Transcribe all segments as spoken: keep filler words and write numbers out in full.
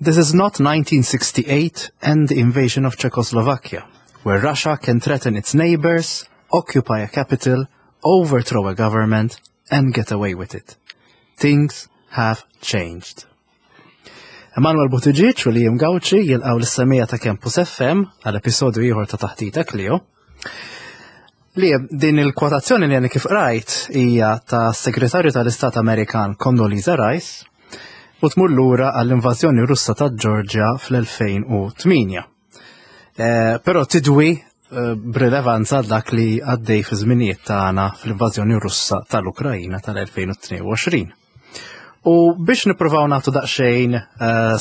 "This is not nineteen sixty-eight and the invasion of Czechoslovakia, where Russia can threaten its neighbors, occupy a capital, overthrow a government, and get away with it. Things have changed." Emanuel Buttigieg u Liam Gauci jilqgħu lis-semmiegħa ta' Campus F M għal episodju ieħor ta' Taħdita Klio. Li din il-kwotazzjoni li għadni kif rajt hija ta' Segretarju tal-Istat Amerikan Condoleezza Rice u tmur lura għall-invażjoni Russa ta' Georgia fl-elfejn u tmienja. Eh, però tidwi eh, b'rilevanza dak li għaddej fi żminijiet tagħna fl-invażjoni Russa tal-Ukrajina tal-elfejn u tnejn u għoxrin. U biex nippruvaw nagħtu daqsxejn eh,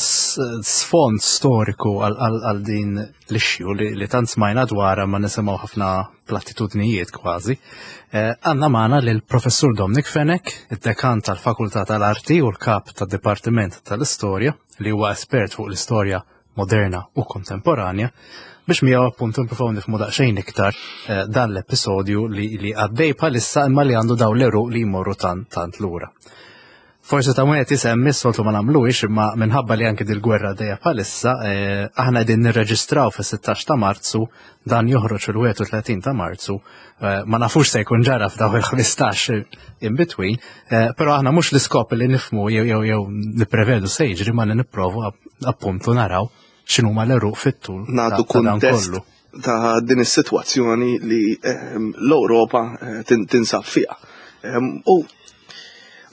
sfond storiku għal din l-issue li, li tant smajna dwarha ma nisimgħu ħafna platitudnijiet kważi, eh, għandna magħna lill-Professur Dominic Fenech, id-dekan tal-Fakultà tal-Arti u l-kap tad-Dipartiment tal-Istorja, li huwa espert fuq l-istorja moderna u kontemporanja, biex miegħu appuntu nippruvaw nifhmu daqsxejn iktar eh, dan l-episodju li, li għaddej bħalissa imma li għandu daw l-għeruq li jmorru tant tant lura. Forsi ta' wieħed isemmi, soltu ma nagħmluhiex, imma minħabba li anke dil-gwerra dejja bħalissa, eh, aħna qegħdin nirreġistraw fis-sittax ta' Marzu, dan joħroġ fil-wieħed u tletin ta' Marzu, eh, ma nafux se jkun ġara f'daw il-ħmistax in between, eh, però aħna mhux l-iskop li nifhmu jew jew jew nipprevedu se jiġri, ma li nipprovu appuntu naraw x'inhuma l-għeruq fit-tul. Nagħtu kuntest ta' din is-sitwazzjoni li ehm, l-Ewropa tinsab fiha. Ehm, u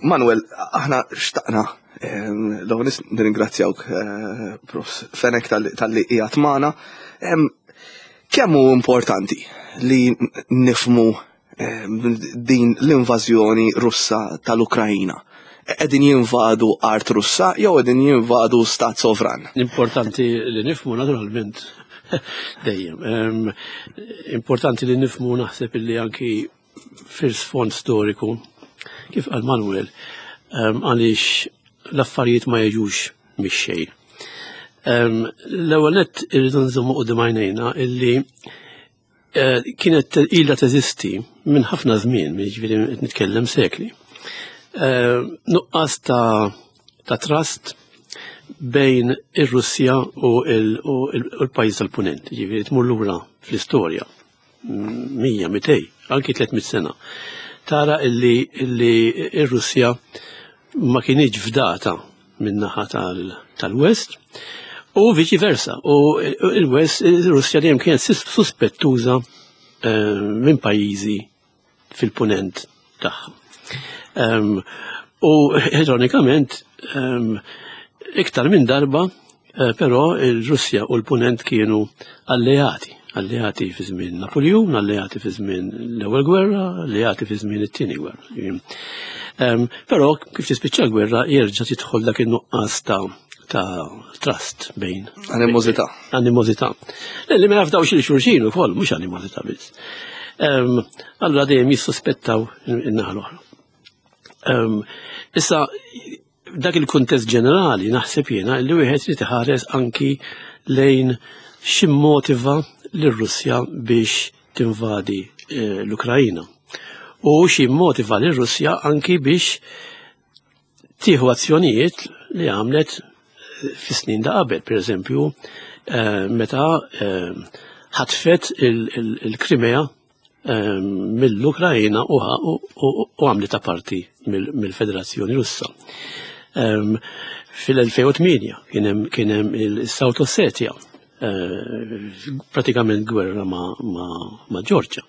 Manuel, aħna xtaqna l-ewwel nirringrazzjawk, eh, Prof Fenech, talli qiegħed magħna. Kemm hu importanti li nifhmu din l-invażjoni Russa tal-Ukrajina? Qegħdin jinvadu art Russa jew qegħdin jinvadu stat sovran? Importanti li nifhmu naturalment dejjem. Importanti li nifhmu, naħseb, illi anki fil-sfond storiku, kif qal Manuel, għaliex l-affarijiet ma jiġux mix-xejn. L-ewwel nett irridu nżommu quddiem għajnejna illi eh, kienet ilha teżisti minn ħafna żmien, jiġifieri qed nitkellem sekli. Eh, nuqqas ta' ta' trust bejn ir-Russja u l-pajjiż tal-Punent, jiġifieri tmur lura fl-istorja, mija, mitej, anki tliet mitt sena. Tara illi illi ir-Russja ma kienx fdata min-naħa tal-West u viċi versa. U il-West, il-Russja dejjem kienet suspettuża eh, minn pajjiżi fil-punent tagħha. U ironikament, iktar minn darba, eh, però il-Russja u l-punent kienu alleati alleati fi żmien Napoleon, alleati fi żmien l-Ewwel Gwerra, alleati fi żmien it-Tieni Gwerra. Però kif tispiċċa l-gwerra jerġa' tidħol dak in-nuqqas ta' ta' trust bejn. Animosità. Animosità. Li ma jafdawx lil xulxin ukoll, mhux animosità biss. Allura dejjem jissuspettaw in-naħa l-oħra. Issa, dak il-kuntest ġenerali, naħseb jiena li wieħed li iħares anki lejn x'immotiva lir-Russja biex tinvadi eh, l-Ukrajina. U x'immotiva lir-Russja anki biex tieħu azzjonijiet li għamlet fi snin da qabel, per eżempju, eh, meta eh, ħatfet il-Krimea mill-Ukrajina u għamlet parti mill-Federazzjoni Russa. Fil-elfejn u tmienja kien hemm il-South Ossetia, pratikament gwerra ma', ma, ma Georgia.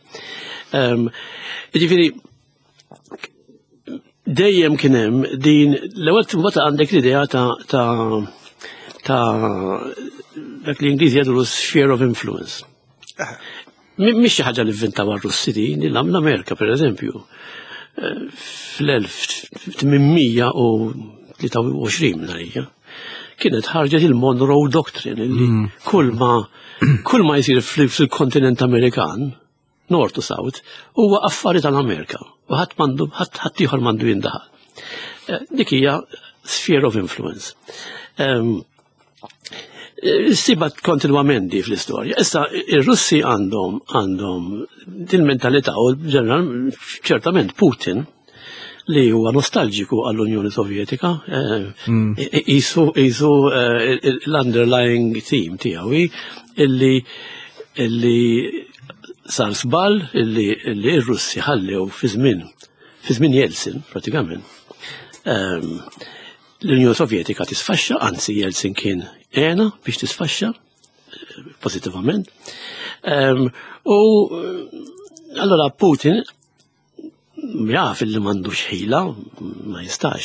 Ġifieri, dejjem kien hemm din l-ewwel, mbagħad għandek l-idea ta' ta' ta' dak li Ingliżi jgħidu sphere of influence. Mhix xi ħaġa li vvintaw r-Russi din, l-Amerika, per eżempju. Fl-elf tmien mija u tlieta u għoxrin narija kienet ħarġet il-Monroe Doctrine li mm. kull ma kull ma jsir fil-kontinent Amerikan, North to South, huwa affari tal-Amerika u ħadd m'għandu ħadd ħadd ieħor m'għandu jindaħal. Eh, dik hija sphere of influence. Issibha kontinwament di fl-istorja. Issa, ir-Russi għandhom għandhom din mentalità u ċertament Putin li huwa nostalġiku għall-Unjoni Sovjetika, qisu qisu l-underlying theme tiegħu illi illi sar żball illi illi r-Russi ħallew fi żmien fi żmien Jeltsin pratikament. L-Unjoni Sovjetika tisfaxxa, anzi Jeltsin kien għena biex tisfaxxa pozitivament. U allora Putin jaf li m'għandux ħila, ma jistax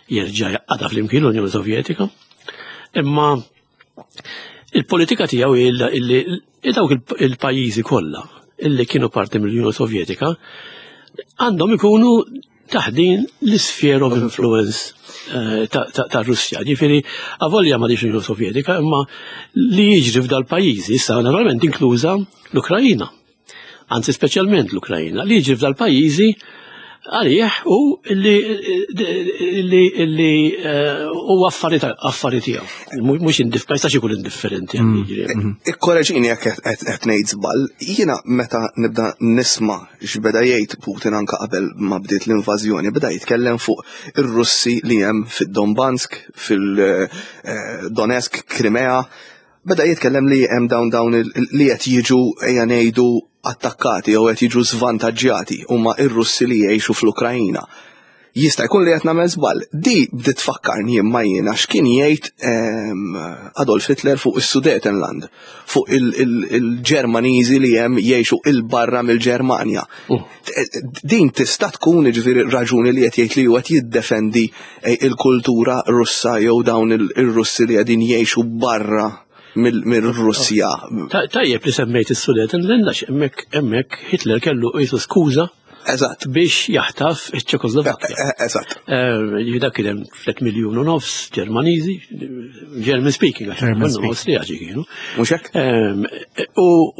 jerġa' jgħaqqadha flimkien l-Unjoni Sovjetika, imma il-politika tiegħu illi dawk il-pajjiżi kollha illi kienu parti mill-Unjoni Sovjetika għandhom ikunu taħt din l-sphere of influence ta' Russja. Ġifieri, avolja ma l-Unjoni Sovjetika, imma li jiġri f'dal-pajjiżi, issa naturalment inkluża l-Ukrajina. Anzi, speċjalment l-Ukrajina, li jiġri f'dal-pajjiżi għalih u li li u affari tiegħu. Mhux ma jistax ikun indifferenti. Ikkoreġini jekk qed ngħid żball, jiena meta nibda nisma' x'beda jgħid Putin anke qabel ma bdiet l-invażjoni, beda jitkellem fuq ir-Russi li hemm fid-Donbansk, fil-Donetsk, Krimea, beda jitkellem li hemm dawn dawn li qed jiġu ejja ngħidu attakkati jew qed jiġu żvantaġġjati huma ir-Russi li jgħixu fl-Ukrajina. Jista' jkun li qed nagħmel żball. Di bdiet tfakkarni imma jiena x'kien jgħid Adolf Hitler fuq is-Sudetenland, fuq il-Ġermaniżi li hemm jgħixu 'il barra mill-Ġermanja. Din tista' tkun jiġifieri raġuni li qed jgħid li huwa qed jiddefendi il-kultura Russa jew dawn ir-Russi li qegħdin jgħixu barra mill-Russja. Tajjeb li semmejt is-Sudetenland għax hemmhekk hemmhekk Hitler kellu qisu skuża Eżatt. biex jaħtaf iċ-Ċekoslovakkja. Eżatt. Dak kien hemm tliet miljun u nofs Ġermaniżi, German speaking, għax German speaking. Awstrijaċi kienu. Mhux hekk? U u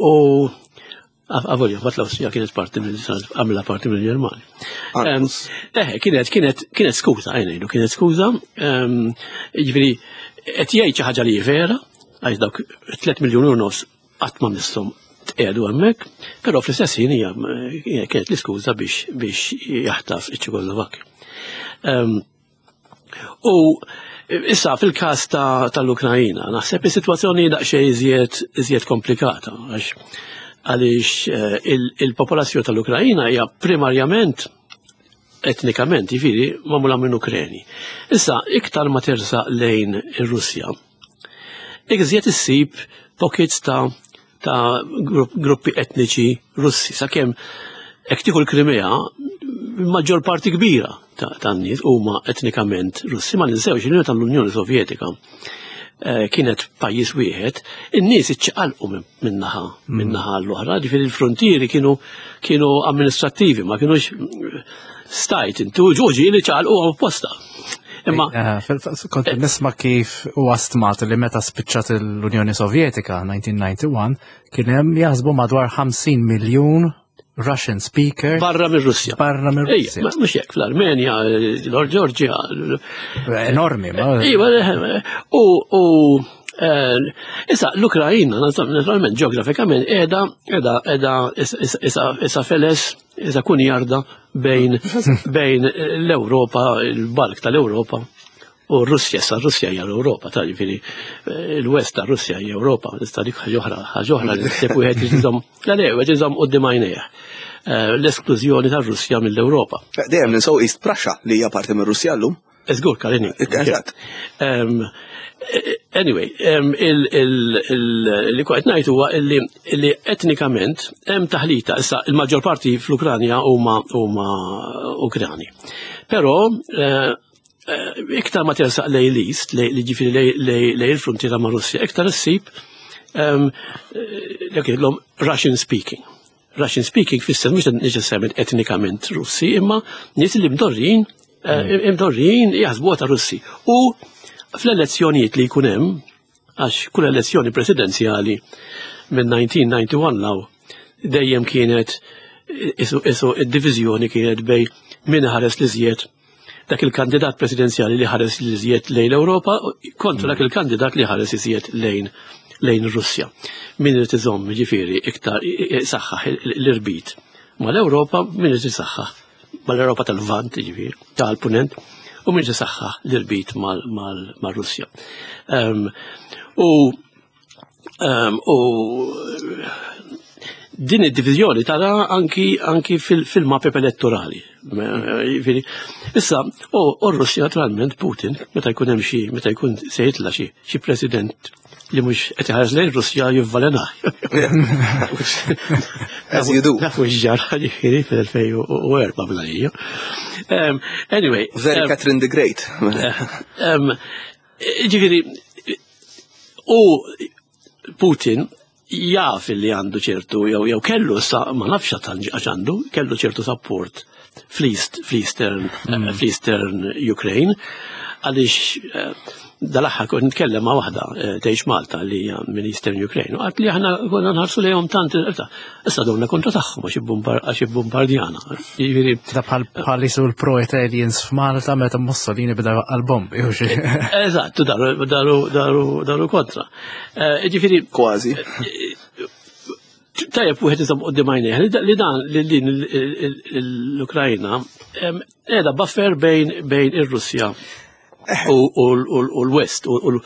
avolja, bat l-Awstrija kienet parti mill għamla parti mill-Ġermanja. Eh, kienet kienet kienet skuża, għajnejlu, kienet skuża, jiġifieri qed jgħid xi ħaġa li vera, għax dawk tliet miljun u nofs qatt ma misshom tqiegħdu hemmhekk, però fl-istess ħin hija kienet l-iskuża biex biex jaħtaf iċ-Ċekoslovakkja. U issa fil-każ tal-Ukrajina, naħseb is-sitwazzjoni daqsxejn iżjed iżjed komplikata għax għaliex il-popolazzjoni tal-Ukrajina hija primarjament etnikament, jiġifieri magħmula minn Ukreni. Issa iktar ma tersaq lejn ir-Russja, iżjed issib pockets ta' ta' gruppi etniċi Russi. Sakemm hekk tieħu l-Krimea, maġġor parti kbira tan-nies huma etnikament Russi. Ma ninsewx li tal-Unjoni Sovjetika kienet pajjiż wieħed, in-nies iċċaqalqu min-naħa min-naħa l-oħra, ġifieri l-frontieri kienu kienu amministrattivi, ma kienux stajt intu ġoġi li ċaqalqu apposta. Imma kont nisma' kif huwa stmat li meta spiċċat l-Unjoni Sovjetika nineteen ninety-one kien hemm jaħsbu madwar ħamsin miljun Russian speaker barra mir-Russja. Barra mir-Russja. Ejja, mhux hekk fl-Armenja, l-Ġorġja. Enormi, ma. Iva, u u issa l-Ukrajina naturalment ġeografikament qiegħda qiegħda qiegħda issa feles issa kun jarda bejn bejn l-Ewropa, il-bulk tal-Ewropa u Russja. Issa Russja hija l-Ewropa, ta' ġifieri il-West ta' Russja hija Ewropa, tista' dik ħaġa oħra, ħaġa oħra li ssib wieħed iżomm, la le, wieħed iżomm quddiem għajnejh. L-esklużjoni tar-Russja mill-Ewropa. Dejjem ninsew East Prussia li hija parti mir-Russja llum. Żgur, Kalini. Eżatt. Anyway, li kont ngħid huwa illi etnikament hemm taħlita. Issa il-maġġor parti fl-Ukranja huma huma Ukrani. Però iktar ma tersaq lejn l-East, li ġifieri lejn il-frontiera ma' Russja, iktar issib dak jgħidlhom Russian speaking. Russian speaking fisser mhux neċessarjament etnikament Russi, imma nies li mdorrin imdorrin jaħsbuha ta' Russi. U fl-elezzjonijiet li jkun hemm, għax kull elezzjoni presidenzjali minn nineteen ninety-one law dejjem kienet isu isu id-diviżjoni kienet bejn min ħares li żjed dak il-kandidat presidenzjali li ħares li żjed lejn l-Ewropa kontra dak il-kandidat li ħares iżjed lejn lejn Russja. Min irid iżomm ġifieri iktar saħħaħ l-irbit mal-Ewropa, min irid isaħħaħ mal-Europa tal-Lvant, ġifieri, tal-Punent, u min irid isaħħaħ l-irbit mal-Russja. U u din id-divizjoni tara anki anki fil-mapep elettorali. Issa, u r-Russja naturalment Putin, meta jkun hemm xi, meta jkun se jitla' xi xi president li mhux qed iħares lejn Russja, jivvalenah. As you do. Nafu x'ġara, ġifieri, fil-elfejn u erbgħa bla. Anyway. Very Catherine the Great. Ġifieri, u Putin jaf li għandu ċertu, jew jew kellu sa, ma nafx għax għandu, kellu ċertu support fl-East, fl-Eastern, mm. fl-Eastern Ukraine, għaliex eh, dal-aħħar kont nitkellem ma' waħda eh, tgħix Malta li hija minn Eastern Ukraine, u qalet li aħna konna nħarsu lejhom tant, issa donna kontra tagħhom għax ibbombardjana. Jiġifieri da bħal bħal jisu l-pro-Italians f'Malta meta Mussolini beda għal-bombi. Eżatt, daru daru daru daru kontra. Eh, ġifieri Kważi. Tajjeb wieħed iżomm quddiem għajnejh li dan li din l-Ukrajna qiegħda buffer bejn bejn ir-Russja u l-West u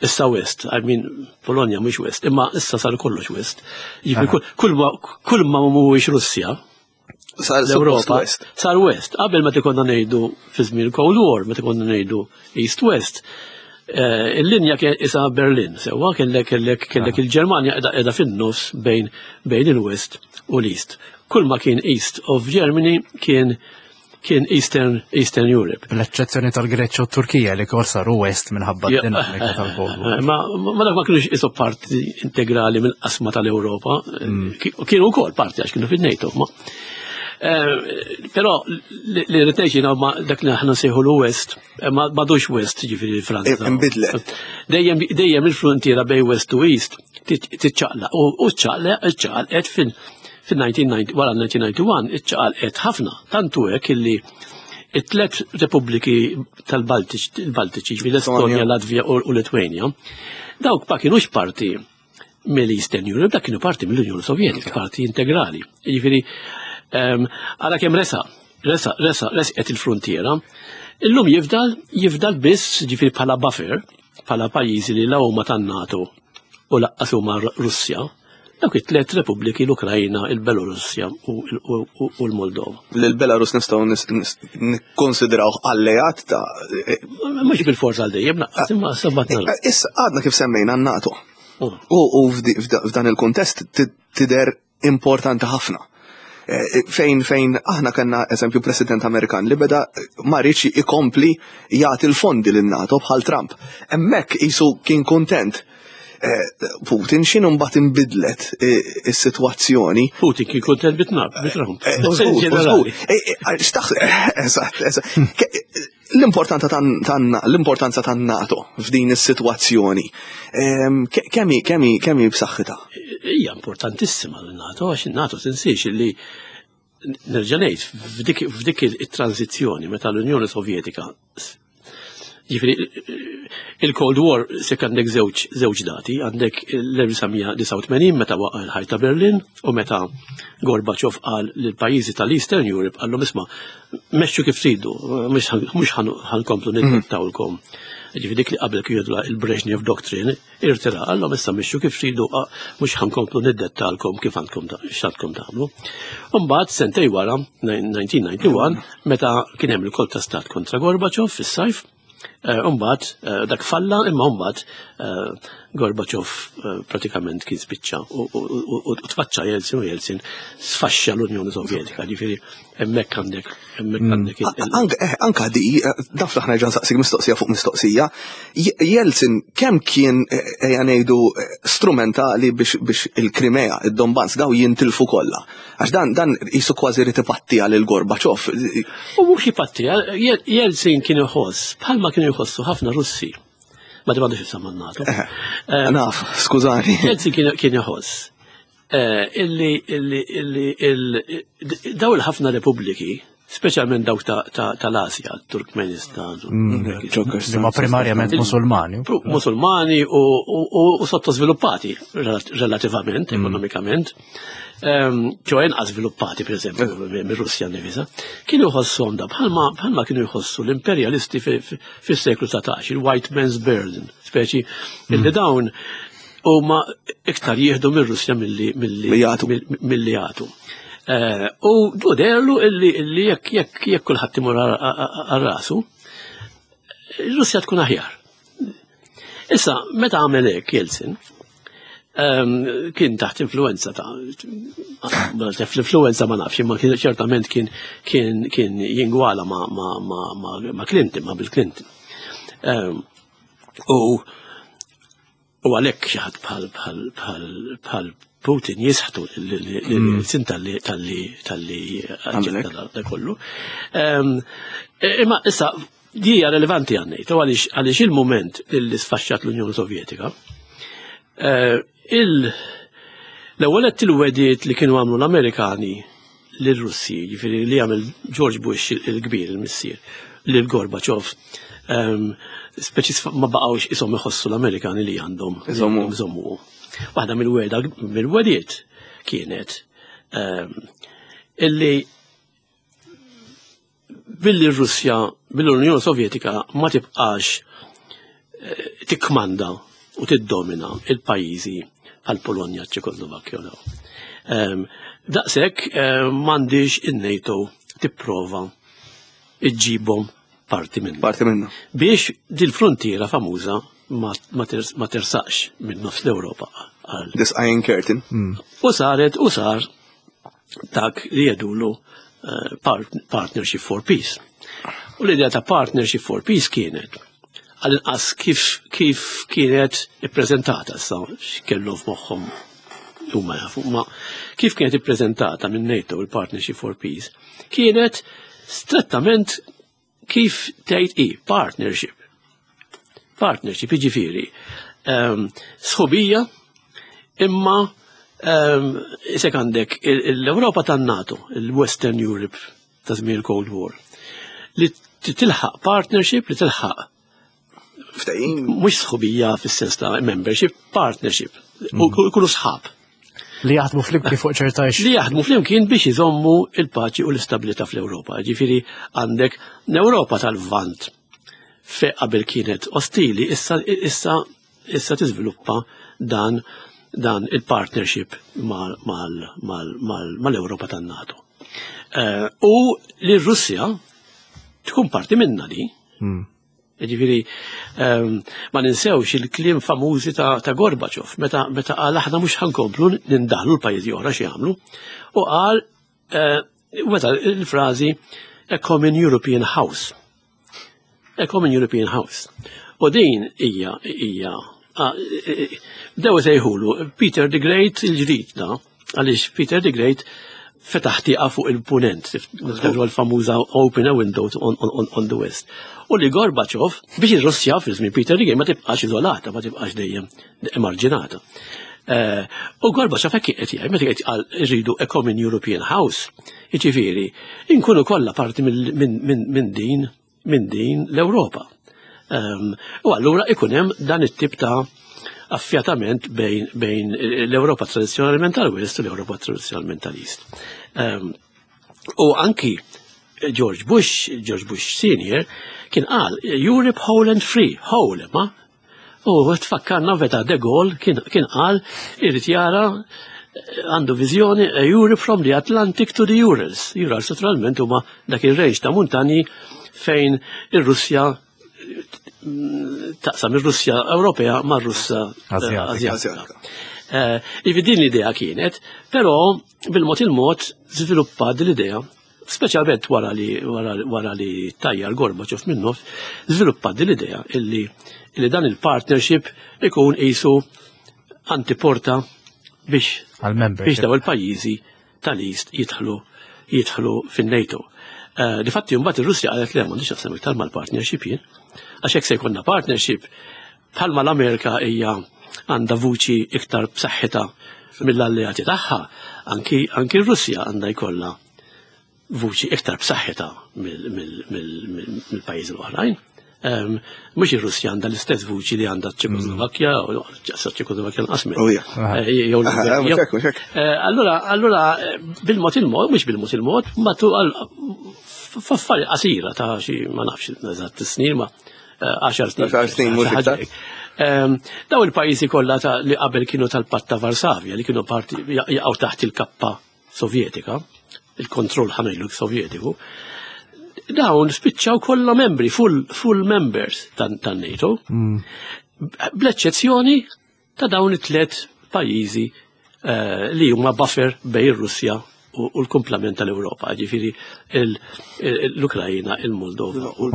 issa West, I mean Polonja mhux West, imma issa sar kollox West. Jiġifieri kull ma mhuwiex Russja, l-Europa sar West. Qabel, meta konna ngħidu fi żmien Cold War, meta konna ngħidu East West, eh, il-linja kien isa Berlin, sewwa, kellek kellek kellek il-Ġermanja qiegħda fin-nofs bejn bejn il-West u l-East. Kull ma kien East of Germany kien kien Eastern, Eastern Europe. L-eċċezzjoni tal-Greċja u Turkija li kol saru West minħabba dinamika tal-Cold War. Ma, ma dak ma kienux isu parti integrali mill-qasma tal-Europa. Mm. Kienu wkoll parti għax kienu fin-NATO. Ma. Eh, però li rrid ma dak li aħna nsejħu l-West, eh, ma m'għadux West, ġifieri Franza. Imbidlet. Dejjem dejjem il-frontiera bej West u East tiċċaqlaq u ċċaqlaq iċċaqlaqet fin fil-elf disa' mija u disgħa u disgħin, wara elf disa' mija u disgħa u disgħin iċċaqalqet ħafna, tantu hekk illi it-tlet repubbliki tal-Baltiċi, ġifieri l-Estonja, Latvija u Litwania, dawk ma kienux parti mill-Eastern Europe, dak kienu parti mill-Unjoni Sovjetika, parti integrali. Ġifieri, għala kemm resa, resa, resa, resqet il-frontiera, illum jifdal, jifdal biss, ġifieri, bħala buffer, bħala pajjiżi li la huma tan-NATO u lanqas huma Russja, dawk it-tlet repubbliki, l-Ukrajna, il-Belorussja u l-Moldova. L-Belarus nistgħu nikkonsidraw alleat ta' Mhux bil-forza għal dejjem naqqas, imma sabbat. Issa għadna kif semmejna n-NATO. U f'dan il-kuntest tidher importanti ħafna. Eh, fejn fejn aħna kellna eżempju President Amerikan li beda ma riedx ikompli jagħti l-fondi lin-NATO bħal Trump. Hemmhekk isu kien kontent eh, Putin. X'inhu mbagħad inbidlet eh, is-sitwazzjoni? Putin kien kontent bi Trump. Eżatt, eżatt. L-importanza l-importanza tan-NATO f'din is-sitwazzjoni. Kemmi kemmi kemmi b'saħħitha? Hija importantissima l-NATO, għax il-NATO, tinsiex li, nerġa' ngħid, f'dik it-tranzizzjoni meta l-Unjoni Sovjetika, ġifieri il-Cold War, se għandek żewġ żewġ dati, għandek l-elf disa' mija u disgħa u tmenin meta waqa' l-ħajt ta' Berlin u meta Gorbachev qal lill-pajjiżi tal-Eastern Europe, qallhom: "Isma', mexxu kif tridu, mhux ħa nkomplu niddettawlkom." Ġifieri dik li qabel kienu il-Brezhnev Doctrine, irtira, qallhom: "Issa mexxu kif tridu, mhux ħa nkomplu niddettalkom kif għandkom x'għandkom tagħmlu." Mbagħad sentej wara, elf disa' mija u disgħa u disgħin, meta kien hemm il-kolp ta' stat kontra Gorbachev fis-sajf, Umbat, eh, eh, dak falla, imma umbat eh, Gorbachev pratikament kien spiċċa u tfaċċa Jeltsin u Jeltsin sfaxxa l-Unjoni Sovjetika, ġifieri hemmhekk għandek hemmhekk mm. għandek. Anka di, daf aħna ġan saqsik mistoqsija fuq mistoqsija, Jeltsin kemm kien, ejja ngħidu, strumentali biex il-Krimea, id-Donbass, daw jintilfu kollha? Għax dan dan jisu kważi rid ipattija lil Gorbachev. U mhux ipattija, Jeltsin kien iħoss, bħalma kienu jħossu ħafna Russi. Ma di m'għandux jisam NATO. Eh, naf, skużani. Jeltsin kien iħoss eh, illi illi illi daw il-ħafna repubbliki Speċjalment dawk tal-Asja, Turkmenistan. Li ma primarjament Musulmani. Musulmani u sottosviluppati relativament, ekonomikament. Ċoè inqas sviluppati, per esempio, mir-Russja nifisha. Kienu jħossuhom da, bħalma kienu jħossu l-imperialisti fis-seklu dsatax, il-white man's burden, speċi illi dawn huma iktar jieħdu mir-Russja milli jagħtu. U deherlu illi jekk jekk jekk kulħadd imur għal rasu, ir-Russja tkun aħjar. Issa, meta għamel hekk Jeltsin, kien taħt influenza ta' l-influenza ma nafx, imma kien ċertament kien kien kien jingwala ma' ma' ma' Clinton, ma' Bill Clinton. U u għalhekk xi ħadd bħal bħal bħal bħal Putin jisħtu l-sin talli talli talli da kollu. Imma issa di hija relevanti għan-NATO għaliex għaliex il-moment li sfaxxat l-Unjoni Sovjetika, l-ewwel qed il-wegħdiet li kienu għamlu l-Amerikani lir-Russi, jiġifieri li għamel George Bush il-kbir, il-missier, lil Gorbachev, speċi ma baqgħux ishom iħossu l-Amerikani li għandhom iżommu. Waħda mill-wegħda mill-wegħdiet kienet illi billi r-Russja, billi l-Unjoni Sovjetika ma tibqax tikkmanda u tiddomina il-pajjiżi bħal Polonja, Ċekoslovakkja u dawn. Daqshekk m'għandix in-NATO tipprova iġġibhom parti minna. Parti minna. Biex dil-frontiera famuża ma tersaqx minn nofs l-Ewropa. This Iron Curtain. U saret, u sar dak li jgħidulu Partnership for Peace. U l-idea ta' Partnership for Peace kienet, għal-inqas kif kif kienet ippreżentata, issa x'kellu f'moħħhom huma jafu, ma kif kienet ippreżentata minn NATO il-Partnership for Peace, kienet strettament kif tgħid i partnership. Partnership jiġifieri sħubija, imma isek għandek l-Ewropa tan-NATO, il-Western Europe ta' żmien il-Cold War, li tilħaq partnership, li tilħaq ftehim, mhux sħubija fis-sens ta' membership, partnership, u jkunu sħab. Li jaħdmu flimkien fuq ċerta Li jaħdmu flimkien biex iżommu il-paċi u l-istabilità fl-Ewropa. Ġifieri għandek l-Ewropa tal-Lvant fe qabel kienet ostili, issa issa issa tiżviluppa dan dan il-partnership mal-Ewropa tan-NATO. U li r-Russja tkun parti minna di. Ġifieri, ma ninsewx il-kliem famużi ta', ta Gorbachev, meta, meta qal aħna mhux ħa nkomplu nindaħlu l-pajjiżi oħra xi jagħmlu, u qal meta il-frażi a common European House. A common European House. U din hija hija bdew sejħulu Peter the Great il-ġdid da, għaliex Peter the Great fetaħ tieqa fuq il-punent, niftakru l-famuża open a window on, on, on the west. U li Gorbachev, biex il-Russja fil-żmien Peter the Great ma tibqax iżolata, ma tibqax dejjem emarġinata. U Gorbachev hekk qed jgħid, meta qed qal irridu a common European House, jiġifieri, inkunu kollha parti minn din minn din l-Ewropa. U allura ikun hemm dan it-tip ta' affjatament bejn, bejn l-Ewropa tradizzjonalment tal-West u l-Ewropa tradizzjonalment tal-East. U anki George Bush, George Bush Senior, kien qal Europe whole and free, whole, ma? U tfakkarna meta De Gaulle kien, kien qal irid jara għandu viżjoni Europe from the Atlantic to the Urals. Urals naturalment huma dak ir-range ta' muntanji fejn ir-Russja taqsam ir-Russja Ewropea ma' Russja Azjatika. Ivi din l-idea kienet, però bil-mod il-mod żviluppa din l-idea, speċjalment wara li wara li tajjar Gorbachev minnu, żviluppa din l-idea illi illi dan il-partnership ikun qisu antiporta biex biex daw il-pajjiżi tal-East jidħlu jidħlu fin-NATO. Difatti mbagħad ir-Russja qalet le m'għandix naqsam iktar mal-partnership jien, għax hekk se jkollna partnership bħalma l-Amerika hija għandha vuċi iktar b'saħħitha mill-alleati tagħha, anki anki r-Russja għandha jkollha vuċi iktar b'saħħitha mill-pajjiżi l-oħrajn. Mhux ir-Russja għandha l-istess vuċi li għandha ċ-Ċekoslovakkja, u ċ-Ċekoslovakkja nqas minn. Oh, Allura, allura bil-mod il-mod, mhux bil-mod il-mod, ma tu f'affari qasira ta' xi ma nafx eżatt snin ma għaxar snin. Għaxar snin mhux iktar. Daw il-pajjiżi kollha li qabel kienu tal-Patt ta' Varsavja li kienu parti jaqgħu taħt il-kappa Sovjetika, il-kontroll ħa ngħidu Sovjetiku, dawn spiċċaw kollha membri, full, full members tan-NATO, mm. bl-eċċezzjoni ta' dawn it-tliet pajjiżi uh, li huma buffer bejn ir-Russja u l-kumplament tal-Ewropa, ġifieri l-Ukrajina, il-Moldova u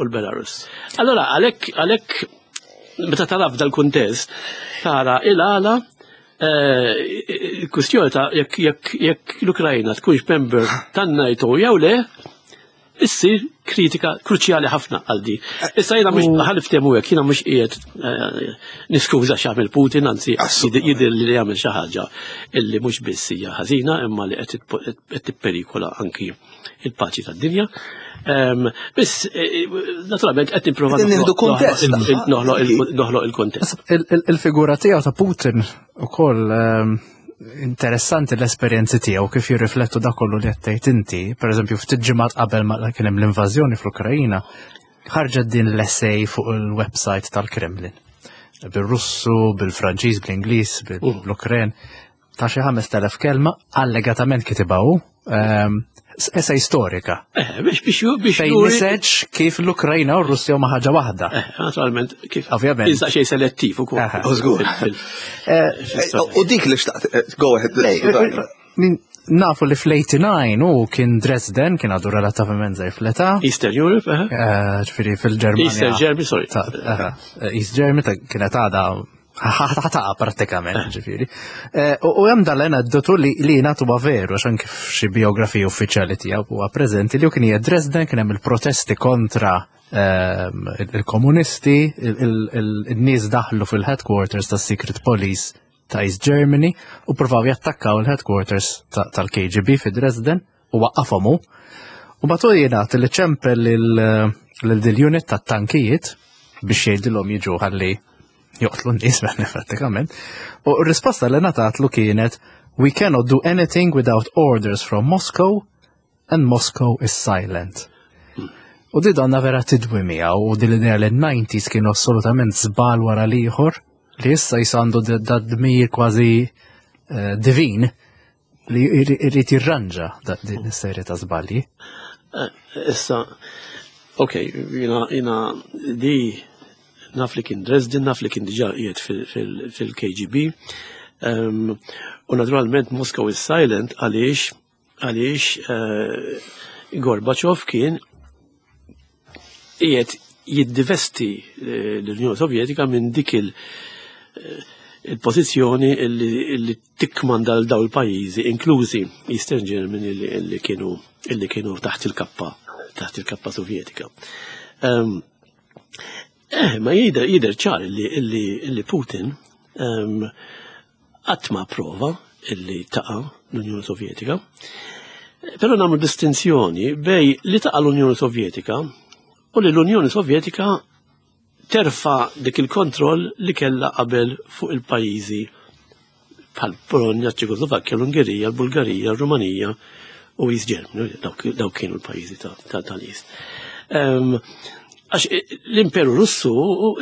l-Belarus. Allora, għalhekk għalhekk meta tara f'dal-kuntest, tara il-għala il-kwistjoni ta' jekk jekk l-Ukrajna tkunx member tan-NATO jew le, issir kritika kruċjali ħafna għal di. Issa jiena mhux ħa niftehmu hekk, jiena mhux qiegħed niskuża x'għamel Putin, anzi jidher li jagħmel xi ħaġa illi mhux biss hija ħażina imma li qed tipperikola anki il-paċi tad-dinja. Biss, naturalment qed nipprova noħloq il-kontest. Il-figura tiegħu ta' Putin ukoll interessanti l-esperjenzi tiegħu kif jirriflettu dak kollu li qed tgħid inti, pereżempju ftit ġimgħat qabel ma kien hemm l-invażjoni fl-Ukrajina, ħarġet din l-essay fuq il-website tal-Kremlin. Bil-Russu, bil-Franċiż, bl-Ingliż, bil-Ukren, ta' xi ħames telef kelma, allegatament kitibha hu, essay storika. Eh, biex biex biex Fejn niseġ kif l-Ukrajna u r-Russja huma ħaġa waħda. Eh, naturalment, kif. Ovvjament. Iżda xejn selettiv ukoll. Żgur. U dik li xtaqt, go ahead. Nafu li fl-eighty-nine u kien Dresden, kien għadu relattivament żgħir fl-età. Eastern Europe, eh? Ġifieri fil-Ġermanja. Eastern Germany, sorry. East Germany kienet għadha ħa taqa' prattikament, ġifieri. U hemm dal-aneddotu li li natu veru, għax anke f'xi biografiji uffiċjali tiegħu huwa preżenti li kien hija Dresden, kien hemm il-protesti kontra il-komunisti, il-nies daħlu fil-headquarters tas-Secret Police ta' East Germany u provaw jattakkaw il-headquarters tal-K G B fi Dresden u waqqafhom hu. U batu jingħad li ċempel lil unit tat-tankijiet biex jgħidilhom jiġu ħalli joqtlu n-nies prattikament. U r-risposta li ngħatatlu kienet: "We cannot do anything without orders from Moscow and Moscow is silent." U di donna vera tidwi miegħu u di l-idea li n-nineties kienu assolutament żball wara l-ieħor li issa jisandu da dmir kważi eh, divin li jrid jirranġa din is-serje ta' żbalji. Eh, issa, ok, jiena, jiena di naf li kien Dresden, naf li kien diġà qiegħed fil-K G B. U naturalment Moscow is silent għaliex għaliex eh, Gorbachev kien qiegħed jiddivesti eh, l-Unjoni Sovjetika minn dik il- eh, il-pożizzjoni li tikkmanda l daw il-pajjiżi, inklużi Eastern Germany li kienu illi kienu taħt il-kappa taħt il-kappa Sovjetika. Eh, ma jidher jidher ċar illi, illi, illi Putin qatt ma prova illi taqa' l-Unjoni Sovjetika. Però nagħmlu distinzjoni bejn li taqa' l-Unjoni Sovjetika u li l-Unjoni Sovjetika terfa' dik il-kontroll li kella qabel fuq il-pajjiżi bħal Polonja, Ċekoslovakkja, l-Ungerija, l-Bulgarija, l-Rumanija u East Germany, dawk kienu l-pajjiżi tal-East. Għax l-Imperu Russu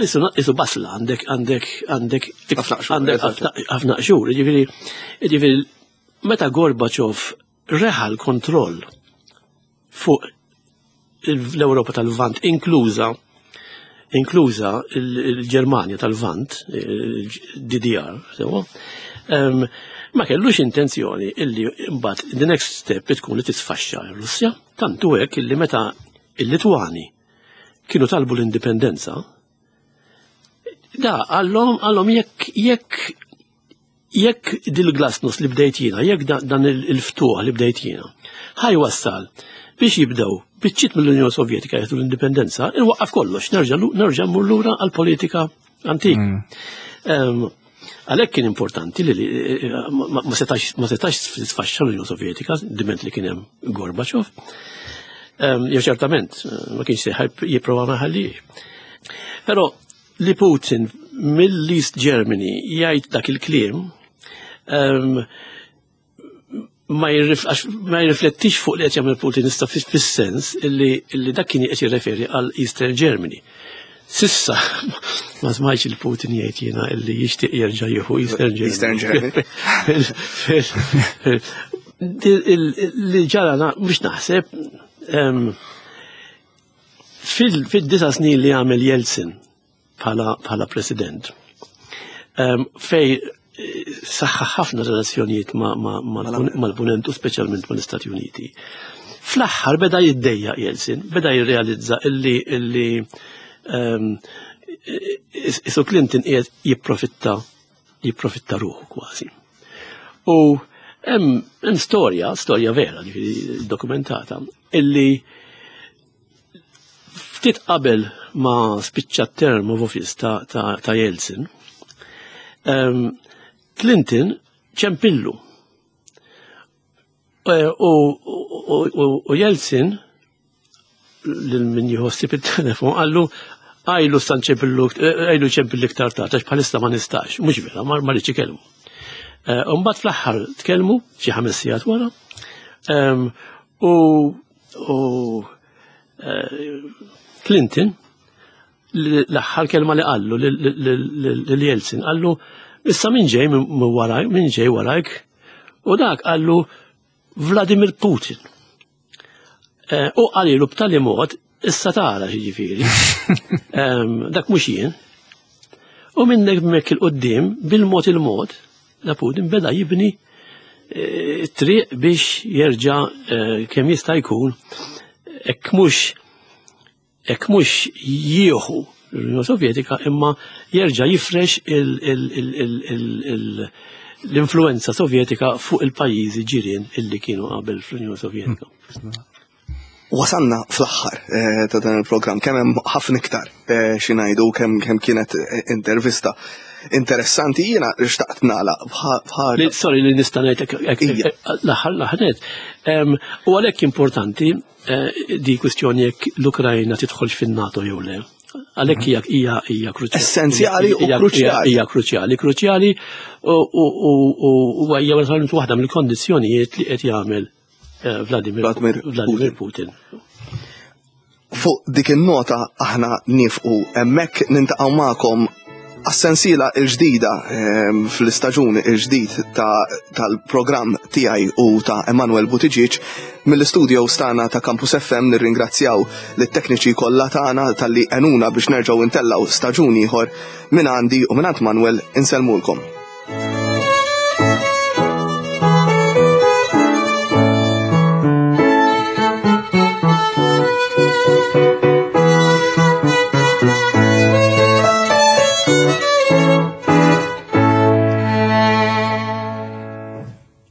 isu basla, għandek għandek għandek għandek ħafna qxur, ġifieri ġifieri meta Gorbachev reħa l-kontroll fuq l-Ewropa tal-Lvant, inkluża inkluża il-Ġermanja tal-Lvant, D D R, sewa, ma kellux intenzjoni illi mbagħad the next step tkun li tisfaxxa r-Russja, tantu hekk illi meta il-Litwani kienu talbu l-indipendenza, da għallhom għallhom jekk jekk jekk dil-glasnost li bdejt jiena, jekk dan il-ftuħ li bdejt jiena, ħa jwassal biex jibdew biċċiet mill-Unjoni Sovjetika jieħdu l-indipendenza, inwaqqaf kollox, nerġa' nerġa' mmur lura għall-politika antik. Mm. Għalhekk kien importanti li ma setax ma setax tisfaxxa l-Unjoni Sovjetika diment li kien hemm Gorbachev. Jew ċertament ma kienx se jipprova ma ħalli. Però li Putin mill-East Germany jgħid dak il-kliem ma jirriflettix fuq li qed jagħmel Putin issa fis-sens illi dak kien qed jirreferi għal Eastern Germany. Sissa ma smajtx il-Putin jgħid jiena illi jixtieq jerġa' jieħu Eastern Germany. Eastern Germany. Li ġara mhux naħseb fil-disa snin li għamel Jeltsin bħala president, fej saħħa ħafna relazzjonijiet mal-punent u speċjalment mal-Istati Uniti. Fl-aħħar beda jiddejjaq Jeltsin, beda jirrealizza illi illi isu Clinton qiegħed jipprofitta jipprofitta ruħu kważi. U hemm storja, storja vera, ġifieri dokumentata, illi ftit qabel ma spiċċa term of office ta', ta, ta' Jeltsin, um, Clinton ċempillu. U, u, u, u Jeltsin lil min jħossib il-telefon qallu għajlu stan ċempillu, għajlu ċempillu iktar tard, għax bħalissa ma nistax, mhux vera, ma rridx ikellmu. Mbagħad fl-aħħar tkellmu xi ħames sigħat wara, u u Clinton l-aħħar kelma li qallu lil Jeltsin qallu issa min ġej minn warajk, min ġej warajk, u dak qallu Vladimir Putin. U qalilu b'tali mod issa tara xiġifieri. Dak mhux jien. U minn hekk il-qudiem bil-mod il-mod da Putin beda jibni triq biex jerġa' kemm jista' jkun hekk mhux hekk mhux jieħu l-Unjoni Sovjetika imma jerġa' jifrex l-influenza sovjetika fuq il-pajjiżi ġirien illi kienu qabel fl-Unjoni Sovjetika. Wasanna fl-aħħar ta' dan il-programm, kemm hemm ħafna iktar xi ngħidu, kemm kemm kienet intervista interessanti, jiena xtaqt nagħlaq bħal. Sorry li nista' ngħidlek l-aħħar l-aħħar. U għalhekk importanti di kwistjoni jekk l-Ukrajna tidħolx fin-NATO jew le. Għalhekk hija hija hija kruċjali. Essenzjali u kruċjali. Hija kruċjali, kruċjali u hija waħda mill-kondizzjonijiet li qed jagħmel Vladimir Vladimir Putin. Fuq dik in-nota aħna nifqu hemmhekk, nintaqgħu magħkom għas-sensiela l-ġdida fl-istaġun il-ġdid tal-programm tiegħi u ta' Emanuel Buttigieg mill-istudio stana ta' Campus F M. Nirringrazzjaw lit-tekniċi kollha tagħna talli għenuna biex nerġgħu intellaw staġun ieħor. Minn għandi u minn għand Manuel insellmulkom.